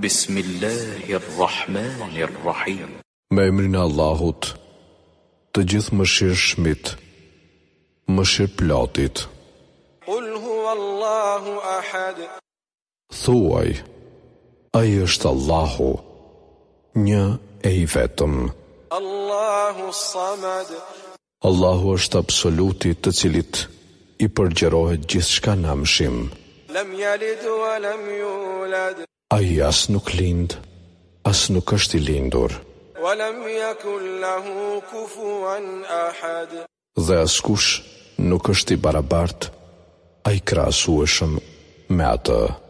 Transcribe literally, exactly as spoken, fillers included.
بسم الله الرحمن الرحيم. Me emrin e Allahut, të Gjithëmëshirshmit, mëshirëplotit. قل هو الله أحد. Thuaj, Ai është Allahu, një e i vetëm. الله الصمد. Allahu është absoluti, të cilit i përgjërohet gjithçka në amshim. لم يلد ولم يولد. Ai as nuk lind, as nuk është i lindur, ولم يكن له كفوا أحد. Dhe askush nuk është i barabartë, ai krahasueshëm me atë.